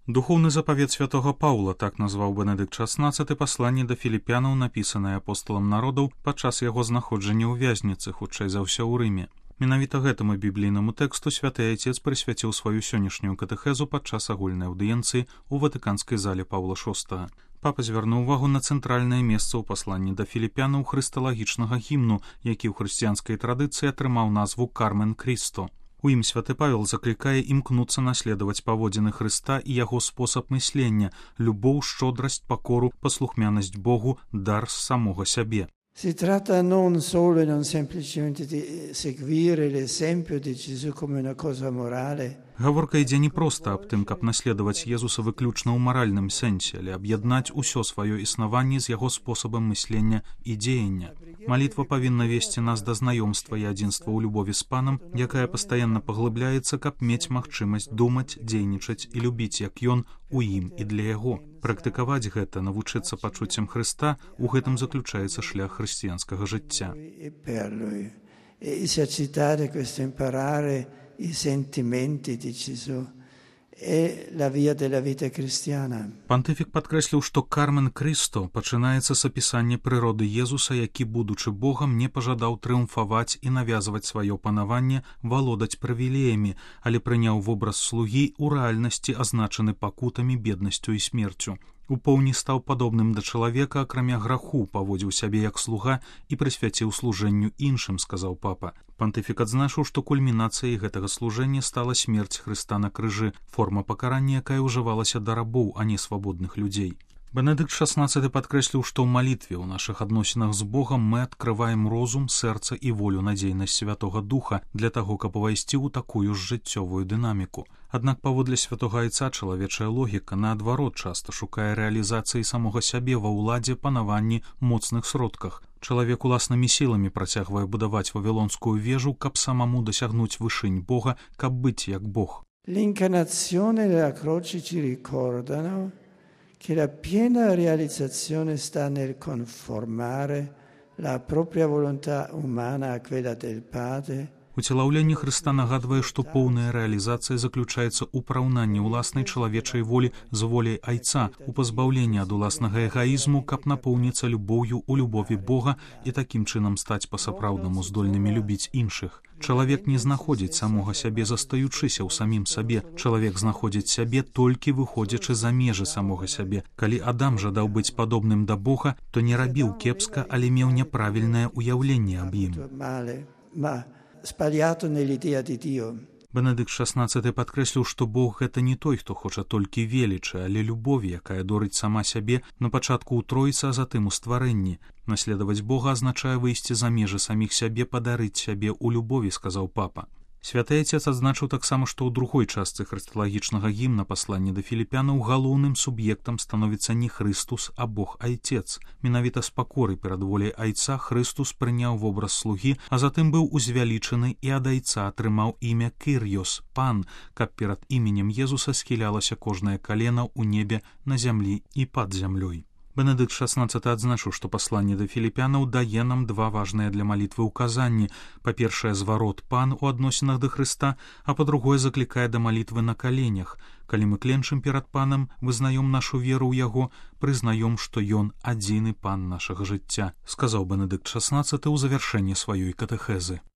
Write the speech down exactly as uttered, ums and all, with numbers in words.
Духоўны запавет святога Паўла, так назваў Бенедыкт шаснаццаты пасланне да філіпянаў, напісанае апосталам народаў падчас яго знаходжання ў вязніцы, хутчэй за ўсё ў Рыме. Менавіта гэтаму біблійнаму тэксту святы айцец прысвяціў сваю сённяшнюю катэхезу падчас агульнай аўдыенцыі ў ватыканскай зале Паўла шостага. Папа звярнуў увагу на цэнтральнае месца ў пасланні да філіпянаў хрысталагічнага гімну, які ў хрысціянскай традыцыі атрымаў назву «Кармен Крісто». У ім святы Павел заклікае імкнуцца наследаваць паводзіны Хрыста і яго спосаб мыслення, любоў, шчодрасць, пакору, паслухмянасць Богу, дар з самога сябе. Si tratta non solo e non semplicemente di seguire l'esempio di Gesù come una cosa morale. Гаворка ідзе не проста аб тым, каб наследаваць Езуса выключна ў маральным сэнсе, але аб'яднаць усё сваё існаванне з яго спосабам мыслення і дзеяння. Малітва павінна весці нас да знаёмства і адзінства ў любові з Панам, якая пастаянна паглыбляецца, каб мець магчымасць думаць, дзейнічаць і любіць, як Ён у ім і для яго. Практыкаваць гэта, навучыцца пачуццям Хрыста, у гэтым заключаецца шлях хрысціянскага жыцця. I sentimenti di Gesù e la via della vita cristiana. Пантыфік падкрэсліў, што «Кармен Крісто» пачынаецца з апісання прыроды Езуса, які, будучы Богам, не пажадаў трыумфаваць і навязваць сваё панаванне, валодаць прывілеямі, але прыняў вобраз слугі ў рэальнасці, азначаны пакутамі, беднасцю і смерцю. У поўні стаў падобным да чалавека, акрамя граху, паводзіў сябе як слуга і прысвяціў служэнню іншым, сказаў папа. Пантыфік адзначыў, што кульмінацыяй гэтага служэння стала смерць Хрыста на крыжы, форма пакарання, якая ўжывалася да рабоў, а не свабодных людзей. Бенедыкт шаснаццаты падкрэсліў, што ў малітве ў нашых адносінах з Богам мы адкрываем розум, сэрца і волю, надзейнасць Святога Духа для таго, каб увайсці ў такую ж жыццёвую дынаміку. Аднак паводле святога айца чалавечая логіка, наадварот, часта шукае рэалізацыі самога сябе ва ўладзе, панаванні, моцных сродках. Чалавек уласнымі сіламі працягвае будаваць вавілонскую вежу, каб самому дасягнуць вышынь Бога, каб быць як Бог. L'incarnazione della croce ci ricordano che la piena realizzazione sta nel conformare la propria volontà umana a quella del Padre. Уцелаўленне Хрыста нагадвае, што поўная рэалізацыя заключаецца ў параўнанні ўласнай чалавечай волі з воляй айца, у пазбаўленні ад уласнага эгаізму, каб напоўніцца любоўю ў любові Бога і такім чынам стаць па-сапраўднаму здольнымі любіць іншых. Чалавек не знаходзіць самога сябе, застаючыся ў самім сабе. Чалавек знаходзіць сябе толькі выходзячы за межы самога сябе. Калі Адам жадаў быць падобным да Бога, то не рабіў кепска, але меў няправільнае ўяўленне аб ім. Бенедыкт шаснаццаты падкрэсліў, што Бог гэта не той, хто хоча толькі велічы, але любові, якая дорыць сама сябе на пачатку ў тройцы, а затым у стварэнні. Наследаваць Бога азначае выйсці за межы саміх сябе, падарыць сябе ў любові, сказаў папа. Святы айцец адзначыў таксама, што ў другой частцы хрысталагічнага гімна паслання да філіпянаў галоўным суб'ектам становіцца не Хрыстус, а Бог айцец. Менавіта з пакоры перад воляй айца Хрыстус прыняў вобраз слугі, а затым быў узвялічаны і ад айца атрымаў імя Кырьёс, пан, каб перад іменем Езуса схілялася кожнае калена ў небе, на зямлі і пад зямлёй. Бенедыкт шаснаццаты адзначыў, што пасланне да філіпянаў дае нам два важныя для малітвы ўказанні. Па-першае, зварот пан у адносінах да Хрыста, а па-другое, заклікае да малітвы на каленях. Калі мы кленчым перад панам, вызнаём нашу веру ў яго, прызнаём, што ён адзіны пан нашага жыцця, сказаў Бенедыкт шаснаццаты ў завяршэнні сваёй катэхезы.